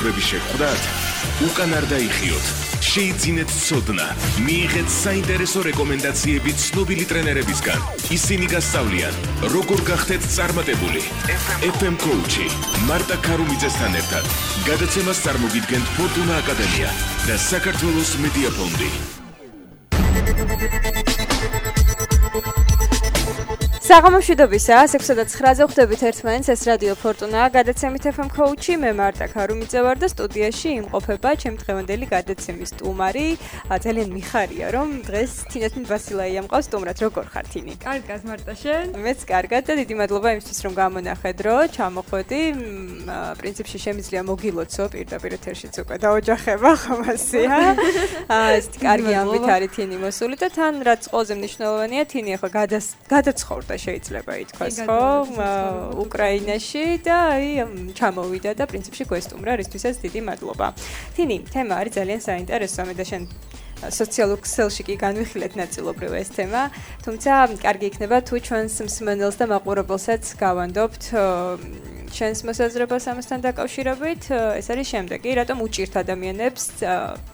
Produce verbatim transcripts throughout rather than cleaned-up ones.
თავისუფლების შეხვდათ, უკან არ დაიხიოთ, შეიძინეთ ცოდნა, მიიღეთ საინტერესო რეკომენდაციები ცნობილი ტრენერებისგან. ისინი გასწავლიან, როგორ გახდეთ წარმატებული. ეფ ემ Coach-ი მარტა ქარუმიძესთან ერთად გადაცემას წარმოგიდგენთ ფორტუნა აკადემია და საქართველოს მედია ფონდი. საღამოშვიდობისა, ექვსი და ცხრაზე ხვდებით ერთმანეთს, ეს რადიო ფორტუნა, გადაცემით ეფ ემ Coach-ი, მე მარტა ქარუმიძე ვარ და სტუდიაში იმყოფება ჩემი დღევანდელი გადაცემის სტუმარი. ძალიან მიხარია, რომ დღეს თინათინ ბასილაია მყავს სტუმრად. როგორ ხარ თინი? კარგად, მარტა შენ? მეც კარგად და დიდი მადლობა იმისთვის, რომ გამონახეთ, რომ ჩამოხვედი. პრინციპში შემიძლია მოგილოცო პირდაპირ ეთერშიც უკვე დაოჯახება ხომასია. ეს კარგი ამბით არის თინი მოსული და თან რაც ყველაზე მნიშვნელოვანია, თინი ახლა გადაცხოვრდა შეიძლება ითქვას, ხო, უკრაინაში და აი ჩამოვიდა და პრინციპში გვესტუმრა, რისთვისაც დიდი მადლობა. თინი, თემა არის ძალიან საინტერესო, მე და შენ სოციალურ ქსელში კი განვიხილეთ ნაწილობრივ ეს თემა, თუმცა კარგი იქნება თუ ჩვენს მსმენელს და მაყურებელსაც გავანდობთ ჩვენს მოსაზრებას ამასთან დაკავშირებით. ეს არის შემდეგი, რატომ უჭირთ ადამიანებს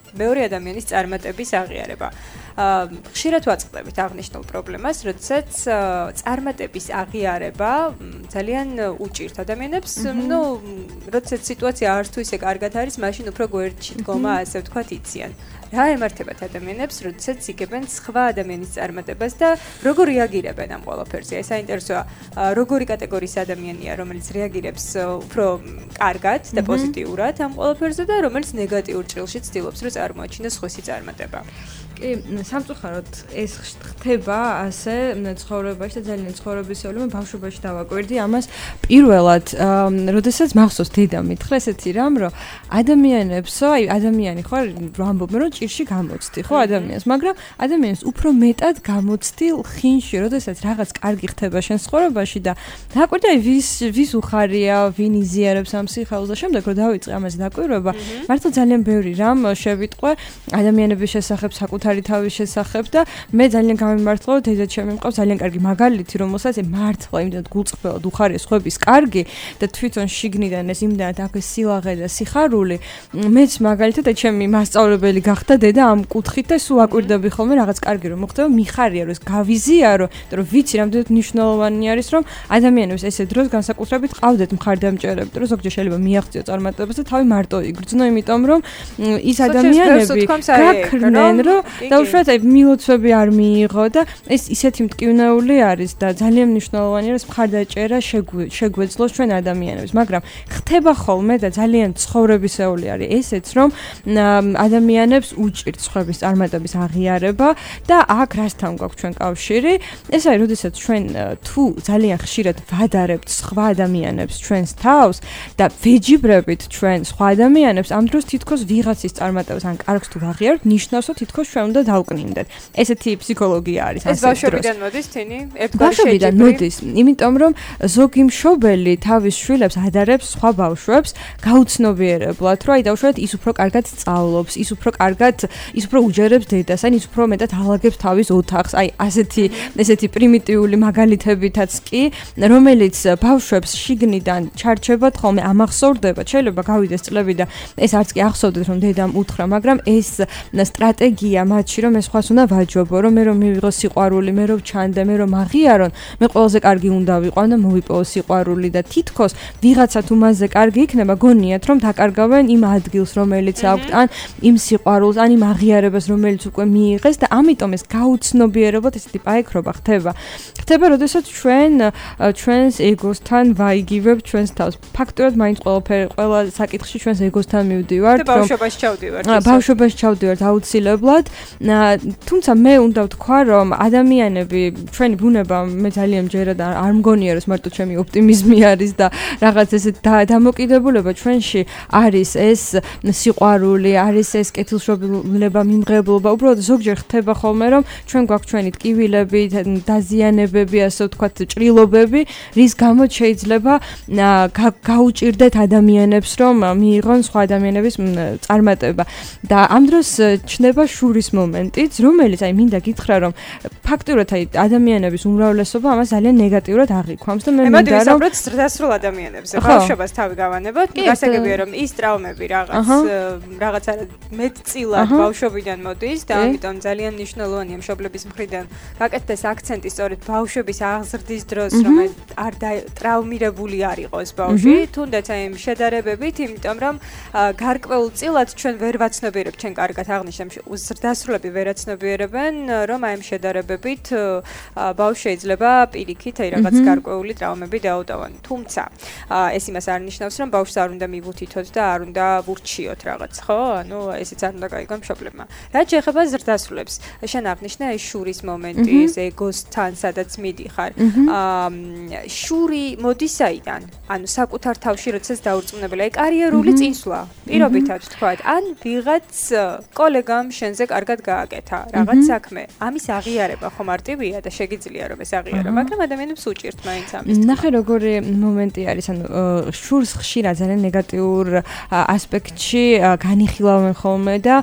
მეორე ადამიანის წარმატების აღიარება. ხშირად ვაწყდებით აღნიშნულ პრობლემას, როდესაც წარმატების აღიარება ძალიან უჭირთ ადამიანებს, ну, როდესაც სიტუაცია არც თუ ისე კარგად არის, მაშინ უფრო გვერდში დგომა, ასე ვთქვათ, იციან. რა ემართებათ ადამიანებს, როდესაც იგებენ სხვა ადამიანის წარმატებას და როგორ რეაგირებენ ამ ყველაფერზე? ეს საინტერესოა, როგორი კატეგორიის ადამიანია, რომელიც რეაგირებს უფრო კარგად და პოზიტიურად ამ ყველაფერზე და რომელიც ნეგატიურ ჭრილში ცდილობს, რომ წარმოაჩინოს სხვისი წარმატება. კი, სამწუხაროდ ეს ხდება ასე ცხოვრებაში და ძალიან ცხოვრებისეული, მე ბავშვობაში დავაკვირდი ამას პირველად, როდესაც მახსოვს დედა მითხრა ესეთი რამ, რომ ადამიანებსო, აი ადამიანი ხო ვამბობენ, რომ ჭირში გამოცდი, ხო ადამიანს, მაგრამ ადამიანს უფრო მეტად გამოცდი ხინში, როდესაც რაღაც კარგი ხდება შენ ცხოვრებაში და დააკვირდი აი ვის ვის უხარია, ვინ იზიარებს ამ სიხარულს და შემდეგ რომ დავიწყე ამაზე დაკვირვება, მართლა ძალიან ბევრი რამ შევიტყვე ადამიანების შესახებ, საკუთარ თავის შესახებ და მე ძალიან გამიმართლა რომ დედა ჩემი მყავს ძალიან კარგი მაგალითი რომელსაც მართლა იმდენად გულწრფელად უხარია სხვების კარგი და თვითონ შიგნიდან ეს იმდენად აქვს სილაღე და სიხარული მეც მაგალითად და ჩემი მასწავლებელი გახდა დედა ამ კუთხით და სულ აკვირდები ხოლმე რაღაც კარგი რომ მოხდება მიხარია რომ ეს გავიზიარო და რომ ვიცი რამდენად მნიშვნელოვანი არის რომ ადამიანებს ესე დროს განსაკუთრებით ყავდეთ მხარდამჭერები და რომ ზოგჯერ შეიძლება მიაღწიო წარმატებას და თავი მარტო იგრძნო იმიტომ რომ ის ადამიანები გაქრნენ რომ და უშუალოდ აი მილოცვები არ მიიღო და ეს ისეთი მტკივნეული არის და ძალიან მნიშვნელოვანია რომ მხარდაჭერა შეგვეძლოს ჩვენ ადამიანებს მაგრამ ხდება ხოლმე და ძალიან ცხოვრებისეული არის ესეც რომ ადამიანებს უჭირთ სხვების წარმატების აღიარება და აქ რასთან გვაქვს ჩვენ კავშირი ეს არის როდესაც ჩვენ თუ ძალიან ხშირად ვადარებთ სხვა ადამიანებს ჩვენს თავს და ვეჯიბრებით ჩვენ სხვა ადამიანებს ამ დროს თითქოს ვიღაცის წარმატებას ან კარგს თუ ვაღიარებთ ნიშნავს რომ თითქოს ჩვენ უნდა დავკნინდეთ. ესეთი ფსიქოლოგია არის ასე. ეს ბავშვებიდან მოდის თინი? ბავშვებიდან მოდის, იმიტომ რომ ზოგი მშობელი თავის შვილებს ადარებს სხვა ბავშვებს გაუცნობიერებლად, რომ აი დაუშვათ ის უფრო კარგად სწავლობს, ის უფრო კარგად, ის უფრო უჯერებს დედას, ან ის უფრო მეტად ალაგებს თავის ოთახს. აი ასეთი ესეთი პრიმიტიული მაგალითებითაც კი, რომელიც ბავშვებს შიგნიდან ჩარჩებად ხოლმე ამახსოვრდება. შეიძლება გავიდეს წლები და ეს არც კი ახსოვდეთ რომ დედამ უთხრა, მაგრამ ეს სტრატეგია მათში რომ ეს სხვას უნდა ვაჯობო, რომ მე რომ მივიღო სიყვარული, მე რომ ჩანდე, მე რომ აღიარონ, მე ყველაზე კარგი უნდა ვიყო და მოვიპოვო სიყვარული და თითქოს ვიღაცა თუ მასზე კარგი იქნება, გონიათ რომ დაკარგავენ იმ ადგილს, რომელიც აქვთ, ან იმ სიყვარულს, ან იმ აღიარებას, რომელიც უკვე მიიღეს და ამიტომ ეს გაუცნობიერებლად ესეთი პაიქრობა ხდება. ხდება, როდესაც ჩვენ ჩვენს ეგოსთან ვაიგივებთ ჩვენს თავს. ფაქტობრივად მაინც ყველაფერი ყველა საკითხში ჩვენს ეგოსთან მივდივართ, რომ ბავშვობაში ჩავდივართ. ბავშვობაში ჩავდივართ აუცილებლად. თუმცა მე უნდა ვთქვა, რომ ადამიანები, ჩვენი ბუნება მე ძალიან მჯერა და არ მგონია, რომ მარტო ჩემი ოპტიმიზმი არის და რაღაც ესეთ დამოკიდებულება ჩვენში არის ეს სიყვარული, არის ეს კეთილშობილება, მიმღებლობა. უბრალოდ ზოგჯერ ხდება ხოლმე, რომ ჩვენ გვაქვს ჩვენი ტკივილები, დაზიანებები, ასე ვთქვათ, ჭრილობები, რის გამოც შეიძლება გაუჭირდეთ ადამიანებს, რომ მიიღონ სხვა ადამიანების წარმატება. და ამ დროს ჩნდება შურის მომენტიც, რომელიც აი მინდა გითხრა, რომ ფაქტურად აი ადამიანების უმრავლესობა ამას ძალიან ნეგატიურად აღიქვამს და მე მინდა რომ ვისაუბროთ ზრდასრულ ადამიანებზე. ბავშვობას თავი გავანებოთ, გასაგებია რომ ის ტრავმები რაღაც რაღაც მეტწილად ბავშვობიდან მოდის და ამიტომ ძალიან მნიშვნელოვანია მშობლების მხრიდან გაკეთდეს აქცენტი სწორედ ბავშვების აღზრდის დროს, რომ არ ტრავმირებული არ იყოს ბავშვი, თუნდაც აი იმ შედარებებით, იმიტომ რომ გარკვეულწილად ჩვენ ვერ ვაცნობიერებთ, ჩვენ კარგად აღნიშნავ, ზრდასრულები ვერ აცნობიერებენ, რომ აი იმ შედარებებით ბავშვი შეიძლება პირიქით აი რაღაც გარკვეული ტრავმები დაუტოვონ. თუმცა ეს იმას არ ნიშნავს, რომ ბავშვს არ უნდა მივუთითოთ და არ უნდა ვურჩიოთ რაღაც, ხო? ანუ ესეც არ უნდა გაიგონ მშობლებმა. რაც შეეხება ზრდასრულებს, შენ აღნიშნე აი შურის მომენტი, ეს ეგოსთან, სადაც მიდიხარ. შური მოდის საიდან? ანუ საკუთარ თავში როდესაც დაურწმუნებელი, აი კარიერული წინსვლა, პირობითად ვთქვათ, ან ვიღაც კოლეგამ შენზე კარგად გააკეთა რაღაც საქმე. ამის აღიარება ხო მარტივია და შეგიძლია რომ ეს აღიარო, მაგრამ ადამიანებს უჭირთ მაინც ამის. ნახე როგორი მომენტი არის, ანუ შურს ხშირად ძალიან ნეგატიურ ასპექტში განიხილავენ ხოლმე და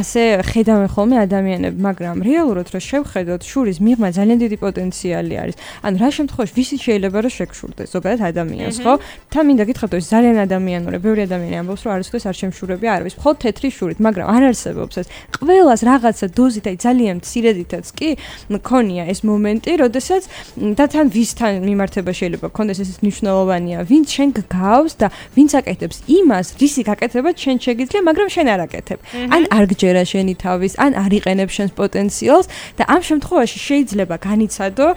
ასე ხედავენ ხოლმე ადამიანები, მაგრამ რეალურად რო შევხედოთ, შურის მიღმა ძალიან დიდი პოტენციალი არის. ანუ რა შემთხვევაში ვისი შეიძლება რომ შეგშურდეს ზოგადად ადამიანს, ხო? თან მინდა გითხრათ, ეს ძალიან ადამიანურია, ბევრი ადამიანი ამბობს, რომ არასოდეს არ შემშურები არ არის, მხოლოდ თეთრი შურით, მაგრამ არ არსებობს ეს. ყველას რაღაცა დოზით, აი ძალიან მცირედითაც კი მქონია ეს მომენტი, როდესაც და თან ვისთან მიმართება შეიძლება გქონდეს ეს მნიშვნელოვანია, ვინც შენ გგავს და ვინც აკეთებს იმას, რისი გაკეთება შენ შეგიძლია, მაგრამ შენ არ აკეთებ. ან არ გჯერა შენი თავის, ან არ იყენებ შენს პოტენციალს და ამ შემთხვევაში შეიძლება განიცადო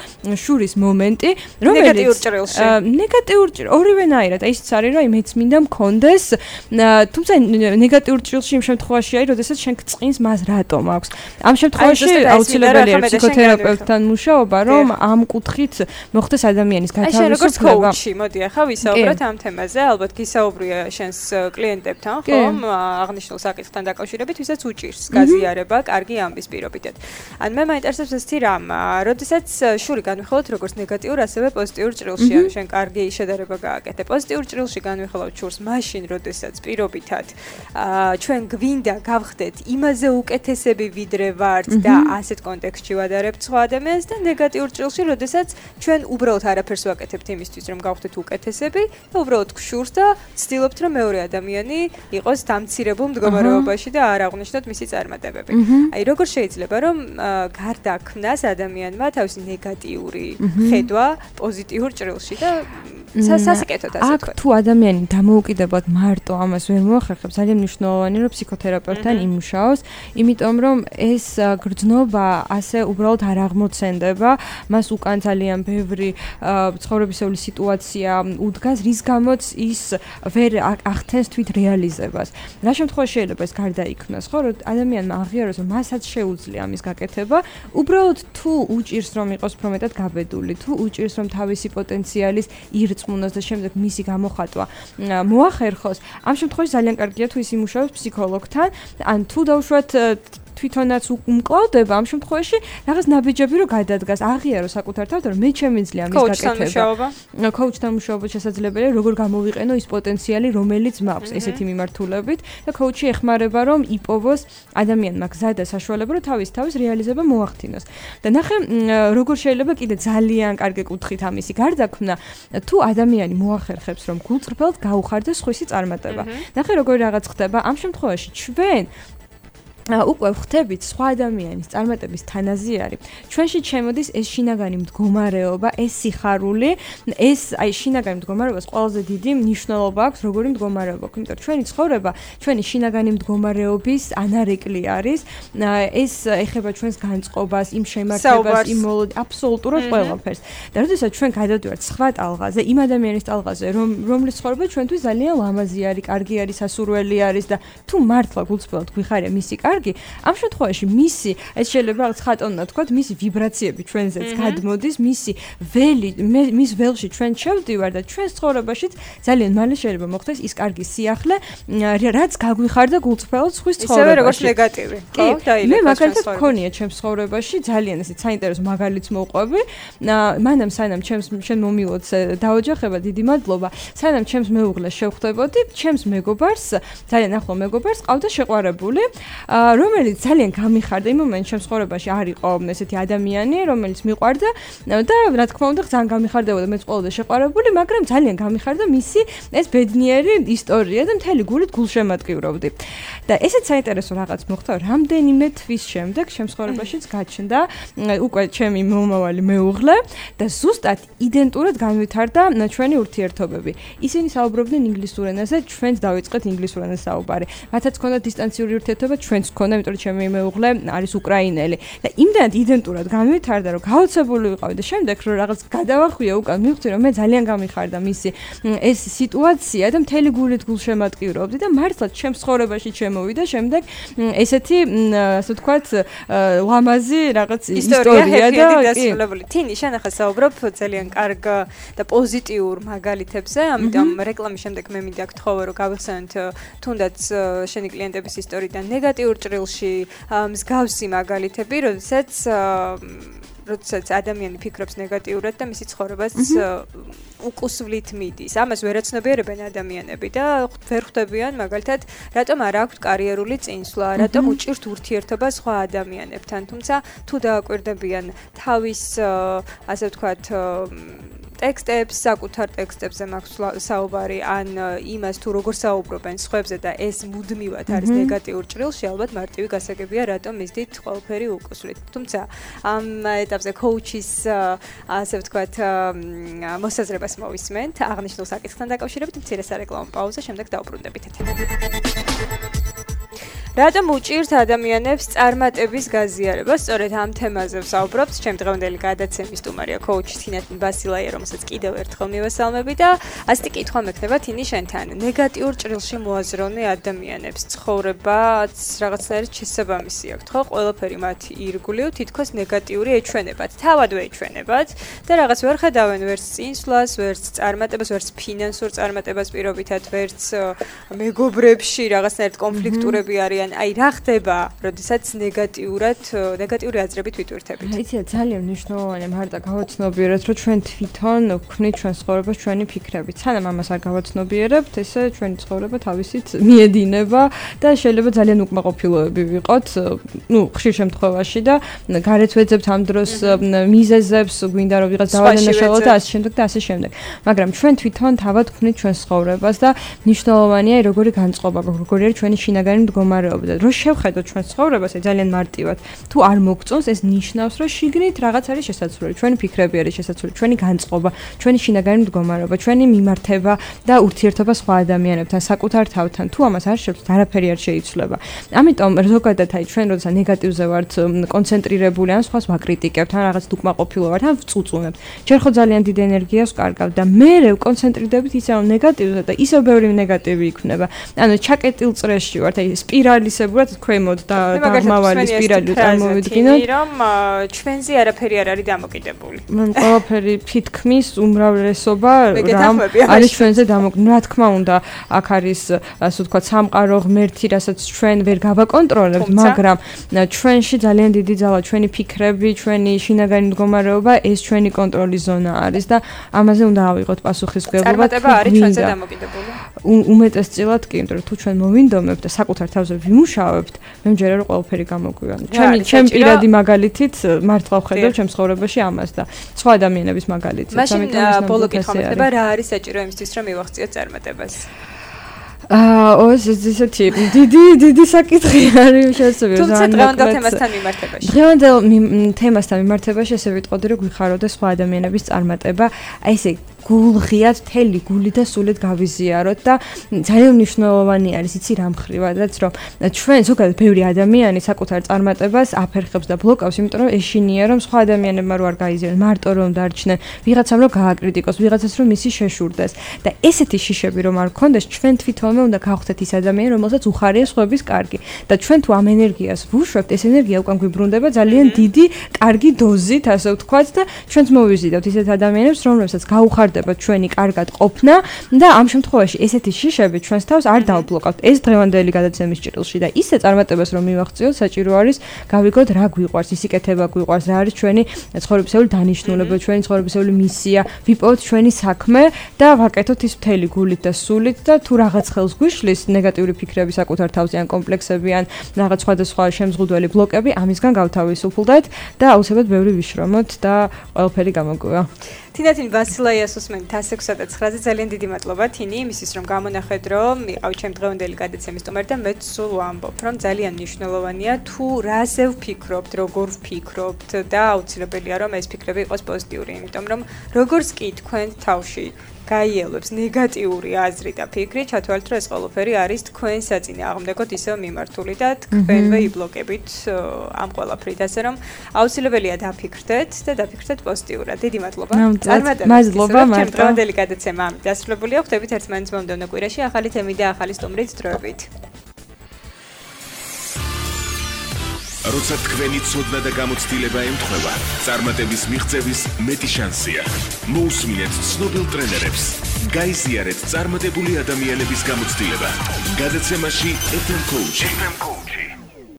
შურის მომენტი, რომელიც ნეგატიურ ჭრილში. ნეგატიურ ორივენაირად, აი ისიც არის, რომ აი მეც მინდა მქონდეს, თუმცა ნეგატიურ ჭრილში იმ შემთხვევაში არის, როდესაც შენ გწყინს მას რატომ აქვს. ამ შემთხვევაში აუცილებელია ფსიქოთერაპევტთან მუშაობა, რომ ამ კუთხით მოხდეს ადამიანის გათავისუფლება. აი შენ როგორც კოუჩი, მოდი ახლა ვისაუბროთ ამ თემაზე, ალბათ გისაუბრია შენს კლიენტებთან, ხომ? აღნიშნულ საკითხთან დაკავშირებით, ვისაც უჭირს გაზიარება, კარგი ამბის პირობითად. ან მე მაინტერესებს ეს რამ, როდესაც შური განვიხილოთ როგორც ნეგატიურ, ასევე პოზიტიურ ჭრილში, ანუ შენ კარგი შედარება გააკეთე. პოზიტიურ ჭრილში განვიხილავთ შურს მაშინ, როდესაც პირობითად ჩვენ გვინდა გავხდეთ იმაზე უკეთესები ვიდრე ვართ და ასეთ კონტექსტში ვადარებთ სხვა ადამიანს და ნეგატიურ ჭრილში, როდესაც ჩვენ უბრალოდ არაფერს ვაკეთებთ იმისთვის, რომ გავხდეთ უკეთესები და უბრალოდ გშურს და ვცდილობთ, რომ მეორე ადამიანი იყოს დამცირებულ მდგომარეობაში და არ აღნიშნოთ მისი წარმატებები. აი როგორ შეიძლება, რომ გარდაქმნას ადამიანმა თავისი ნეგატიური ხედვა პოზიტიურ ჭრილში და სასიკეთოდ ასე ვთქვათ. აქ თუ ადამიანი დამოუკიდებლად მარტო ამას ვერ მოახერხებს, ძალიან მნიშვნელოვანია, რომ ფსიქოთერაპევტთან იმუშაოს, იმიტომ რომ ეს გრძნობა ასე უბრალოდ არ აღმოცენდება, მას უკან ძალიან ბევრი ცხოვრებისეული სიტუაცია უდგას, რის გამოც ის ვერ ახდენს თვით რეალიზებას. რა შემთხვევაში შეიძლება ეს გარდაიქმნას, ხო, რომ ადამიანმა აღიაროს, რომ მასაც შეუძლია ამის გაკეთება, უბრალოდ თუ უჭირს რომ იყოს უფრო მეტად გაბედული, თუ უჭირს რომ თავისი პოტენციალის ირწმუნოს და შემდეგ მისი გამოხატვა მოახერხოს, ამ შემთხვევაში ძალიან კარგია თუ ის იმუშავებს ფსიქოლოგთან, ან თუ დაუშვათ თვითონაც უმკლავდება ამ შემთხვევაში რაღაც ნაბიჯები რო გადადგას, აღიაროს საკუთარ თავს, რომ მე შემიძლია ამის გაკეთება. კოუჩთან მუშაობა შესაძლებელია, როგორ გამოვიყენო ის პოტენციალი, რომელიც მაქვს ესეთი მიმართულებით და კოუჩი ეხმარება, რომ იპოვოს ადამიანმა გზა და საშუალება, რომ თავის თავის რეალიზება მოახდინოს. და ნახე, როგორ შეიძლება კიდე ძალიან კარგი კუთხით ამისი გარდაქმნა, თუ ადამიანი მოახერხებს, რომ გულწრფელად გაუხარდეს სხვისი წარმატება. ნახე, როგორი რაღაც ხდება, ამ შემთხვევაში ჩვენ უკვე ვხვდებით სხვა ადამიანის წარმატების თანაზიარი. ჩვენში შემოდის ეს შინაგანი მდგომარეობა, ეს სიხარული, ეს აი შინაგანი მდგომარეობას ყველაზე დიდი მნიშვნელობა აქვს, როგორი მდგომარეობა აქვს. იმიტომ რომ ჩვენი ცხოვრება, ჩვენი შინაგანი მდგომარეობის ანარეკლი არის. ეს ეხება ჩვენს განწყობას, იმ შემართებას, იმ მოლოდინს, აბსოლუტურად ყველაფერს. და როდესაც ჩვენ გადავდივართ სხვა ტალღაზე, იმ ადამიანის ტალღაზე, რომ რომლის ცხოვრება ჩვენთვის ძალიან ლამაზი არის, კარგი არის, სასურველი არის და თუ მართლა გულწრფელად გვიხარია მისი კარგი ამ შემთხვევაში მისი ეს შეიძლება რაღაც ხატონად თქვათ, მისი ვიბრაციები ჩვენზეც გადმოდის, მისი ველი მის ველში ჩვენ შევდივარ და ჩვენს ცხოვრებაშიც ძალიან მალე შეიძლება მოხდეს ის კარგი სიახლე, რაც გაგვიხარდა გულწრფელად სხვის ცხოვრებაში. ისევე როგორც ნეგატივი. ხო, მე მაგალითად მქონია ჩემს ცხოვრებაში ძალიან ესეც საინტერესო მაგალითს მოვყვები. მანამ სანამ ჩემს შენ მომილოც დაოჯახება, დიდი მადლობა. სანამ ჩემს მეუღლეს შევხვდებოდი, ჩემს მეგობარს, ძალიან ახლო მეგობარს, ყავდა შეყვარებული. რომელიც ძალიან გამიხარდა იმ მომენტში ჩემს ცხოვრებაში არ იყო ესეთი ადამიანი, რომელიც მიყვარდა და რა თქმა უნდა ძალიან გამიხარდებოდა მეც ყველაზე შეყვარებული, მაგრამ ძალიან გამიხარდა მისი ეს ბედნიერი ისტორია და მთელი გულით გულშემატკივრობდი. და ესეც საინტერესო რაღაც მოხდა, რამდენიმე თვის შემდეგ ჩემს ცხოვრებაშიც გაჩნდა უკვე ჩემი მომავალი მეუღლე და ზუსტად იდენტურად განვითარდა ჩვენი ურთიერთობები. ისინი საუბრობდნენ ინგლისურ ენაზე, ჩვენც დავიწყეთ ინგლისურ ენაზე საუბარი. მათაც ჰქონდა დისტანციური ურთიერთობა, ჩვენც ჰქონდა, იმიტომ რომ ჩემი მეუღლე არის უკრაინელი. და იმდენად იდენტურად განვითარდა, რომ გაოცებული ვიყავი და შემდეგ რომ რაღაც გადავახვია უკან, მივხვდი რომ მე ძალიან გამიხარდა მისი ეს სიტუაცია და მთელი გულით გულშემატკივრობდი და მართლაც ჩემს ცხოვრებაში შემოვიდა შემდეგ ესეთი ასე ვთქვათ ლამაზი რაღაც ისტორია და დასრულებული. თინი შენ ახლა საუბრობ ძალიან კარგ და პოზიტიურ მაგალითებზე, ამიტომ რეკლამის შემდეგ მე მინდა გთხოვო რომ გავიხსენოთ თუნდაც შენი კლიენტების ისტორიიდან ნეგატიურ ჭრილში მსგავსი მაგალითები, როდესაც როდესაც ადამიანი ფიქრობს ნეგატიურად და მისი ცხოვრებას უკუსვლით მიდის. ამას ვერ აცნობიერებენ ადამიანები და ვერ ხვდებიან მაგალითად, რატომ არ აქვთ კარიერული წინსვლა, რატომ უჭირთ ურთიერთობა სხვა ადამიანებთან. თუმცა თუ დააკვირდებიან თავის ასე ვთქვათ ტექსტებს, საკუთარ ტექსტებზე მაქვს საუბარი, ან იმას თუ როგორ საუბრობენ სხვებზე და ეს მუდმივად არის ნეგატიურ ჭრილში, ალბათ მარტივი გასაგებია, რატომ მისდით ყველაფერი უკუსვლით. თუმცა ამ ეტაპზე კოუჩის ასე ვთქვათ მოსაზრებას მოვისმენთ, აღნიშნულ საკითხთან დაკავშირებით მცირე სარეკლამო პაუზა, შემდეგ დავბრუნდებით ეთერში. რატომ უჭირთ ადამიანებს წარმატების გაზიარება? სწორედ ამ თემაზე ვსაუბრობთ. ჩემი დღევანდელი გადაცემის სტუმარია კოუჩი თინათინ ბასილაია, რომელსაც კიდევ ერთხელ მივესალმები და ასეთი კითხვა მექნება თინი შენთან. ნეგატიურ ჭრილში მოაზროვნე ადამიანებს ცხოვრებაც რაღაცნაირად შესაბამისი აქვთ, ხო? ყველაფერი მათი ირგვლივ თითქოს ნეგატიური ეჩვენებათ, თავადვე ეჩვენებათ და რაღაც ვერ ხედავენ ვერც წინსვლას, ვერც წარმატებას, ვერც ფინანსურ წარმატებას პირობითად, ვერც მეგობრებში რაღაცნაირად კონფლიქტურები არიან. აი რა ხდება, როდესაც ნეგატიურად, ნეგატიური აზრებით ვიტვირთებით? იცი, ძალიან მნიშვნელოვანია მარტო გავაცნობიეროთ, რომ ჩვენ თვითონ ვქნით ჩვენ ცხოვრებას ჩვენი ფიქრებით. სანამ ამას არ გავაცნობიერებთ, ესე ჩვენი ცხოვრება თავისით მიედინება და შეიძლება ძალიან უკმაყოფილოები ვიყოთ, ну, ხშირ შემთხვევაში და გარეთ ვეძებთ ამ დროს მიზეზებს, გვინდა რომ ვიღაც დავანაშაულოთ და ასე შემდეგ და ასე შემდეგ. მაგრამ ჩვენ თვითონ თავად ვქნით ჩვენ ცხოვრებას და მნიშვნელოვანია როგორი განწყობა, როგორი არის ჩვენი შინაგანი მდგომარეობა. რო შევხედოთ ჩვენ ცხოვრებას, ძალიან მარტივად. თუ არ მოგწონს, ეს ნიშნავს, რომ შიგნით რაღაც არის შესაძლებელი. ჩვენი ფიქრები არის შესაძლებელი, ჩვენი განწყობა, ჩვენი შინაგანი მდგომარეობა, ჩვენი მიმართება და ურთიერთობა სხვა ადამიანებთან, საკუთარ თავთან. თუ ამას არ შევხვდით, არაფერი არ შეიცვლება. ამიტომ ზოგადად აი ჩვენ როდესაც ნეგატივზე ვართ კონცენტრირებული, ან სხვას ვაკრიტიკებთ, ან რაღაც უკმაყოფილო ვართ, ან ვწუწუნებთ. ჯერ ხო ძალიან დიდი ენერგიას ვკარგავთ და მერე კონცენტრირდებით ისევ ნეგატივზე და ისევ ბევრი ნეგატივი იქნება. ანუ ჩაკეტილ წრეში ვართ, აი სპირალისებურად ქვემოთ და დამავალი სპირალი წარმოვიდგინოთ, რომ ჩვენზე არაფერი არ არის დამოკიდებული. მან ყველაფერი თითქმის უმრავლესობა რამ არის ჩვენზე დამოკიდებული. რა თქმა უნდა, აქ არის ასე ვთქვათ სამყარო ღმერთი, რასაც ჩვენ ვერ გავაკონტროლებთ, მაგრამ ჩვენში ძალიან დიდი ძალა, ჩვენი ფიქრები, ჩვენი შინაგანი მდგომარეობა, ეს ჩვენი კონტროლის ზონა არის და ამაზე უნდა ავიღოთ პასუხისმგებლობა. წარმატება არის ჩვენზე დამოკიდებული. უმეტესწილად კი, იმიტომ რომ თუ ჩვენ მოვინდომებთ და საკუთარ თავზე ვიმუშავებთ, მე მჯერა რომ ყველაფერი გამოგვივანო. ჩემი ჩემი პირადი მაგალითით მართლა ვხედავ ჩემს ცხოვრებაში ამას და სხვა ადამიანების მაგალითიც. მაშინ ბოლო კითხვა მექნება, რა არის საჭირო იმისთვის, რომ მივახციოთ წარმატებას? აა, ოს ესეთი დიდი დიდი საკითხი არის შესაძლებელი. თუმცა დღევანდელ თემასთან მიმართებაში. დღევანდელ თემასთან მიმართებაში ესე ვიტყოდი, რომ გვიხაროდა სხვა ადამიანების წარმატება, აი ესე გულღიად, თელი გული და სულით გავიზიაროთ და ძალიან მნიშვნელოვანი არის იცი რა მხრივადაც, რომ ჩვენ ზოგადად ბევრი ადამიანი საკუთარ წარმატებას აფერხებს და ბლოკავს, იმიტომ რომ ეშინია რომ სხვა ადამიანებმა რო არ გაიზიარონ, მარტო რომ დარჩნენ, ვიღაცამ რომ გააკრიტიკოს, ვიღაცას რომ მისი შეშურდეს და ესეთი შიშები რომ არ გქონდეს, ჩვენ თვითონვე უნდა გავხდეთ ის ადამიანი, რომელსაც უხარია სხვების კარგი და ჩვენ თუ ამ ენერგიას ვუშვებთ, ეს ენერგია უკან გვიბრუნდება ძალიან დიდი, კარგი დოზით, ასე ვთქვათ და ჩვენც მოვიზიდავთ ისეთ ადამიანებს, რომლებსაც გაუხარდა იზრდება ჩვენი კარგად ყოფნა და ამ შემთხვევაში ესეთი შიშები ჩვენს თავს არ დავბლოკავთ. ეს დღევანდელი გადაცემის ჭრილში და ისე წარმატებას რომ მივახციოთ, საჭირო არის გავიგოთ რა გვიყვარს, ისიკეთება გვიყვარს, რა არის ჩვენი ცხოვრებისეული დანიშნულება, ჩვენი ცხოვრებისეული მისია, ვიპოვოთ ჩვენი საქმე და ვაკეთოთ ის მთელი გულით და სულით და თუ რაღაც ხელს გვიშლის ნეგატიური ფიქრები საკუთარ თავზე ან კომპლექსები ან რაღაც სხვადასხვა შემზღუდველი ბლოკები, ამისგან გავთავისუფლდეთ და აუცილებლად ბევრი ვიშრომოთ და ყველაფერი გამოგვივა. თინათინ ვასილაიას უსმენთ ათს ექვსსა და ცხრაზე ძალიან დიდი მადლობა თინი იმისთვის რომ გამონახეთ რომ იყავით ჩემ დღევანდელი გადაცემის სტუმარი და მეც სულ ვამბობ რომ ძალიან მნიშვნელოვანია თუ რაზე ვფიქრობთ, როგორ ვფიქრობთ და აუცილებელია რომ ეს ფიქრები იყოს პოზიტიური, იმიტომ რომ როგორც კი თქვენ თავში გაიელვებს ნეგატიური აზრი და ფიქრი, ჩათვალეთ რომ ეს ყველაფერი არის თქვენ საწინააღმდეგოდ ისევ მიმართული და თქვენვე იბლოკებით ამ ყველაფრით, ასე რომ აუცილებელია დაფიქრდეთ და დაფიქრდეთ პოზიტიურად. დიდი მადლობა. მადლობა მარტო. დღევანდელი გადაცემა ამით დასრულებულია. ხვდებით ერთმანეთს მომდევნო კვირაში ახალი თემით და ახალი სტუმრით დროებით. როცა თქვენი ცოდნა და გამოცდილება ემთხვევა, წარმატების მიღწევის მეტი შანსია. მოусმინეთ ცნობილ ტრენერებს. გაიზიარეთ წარმატებული ადამიანების გამოცდილება. გადაცემაში ეფ ემ Coach.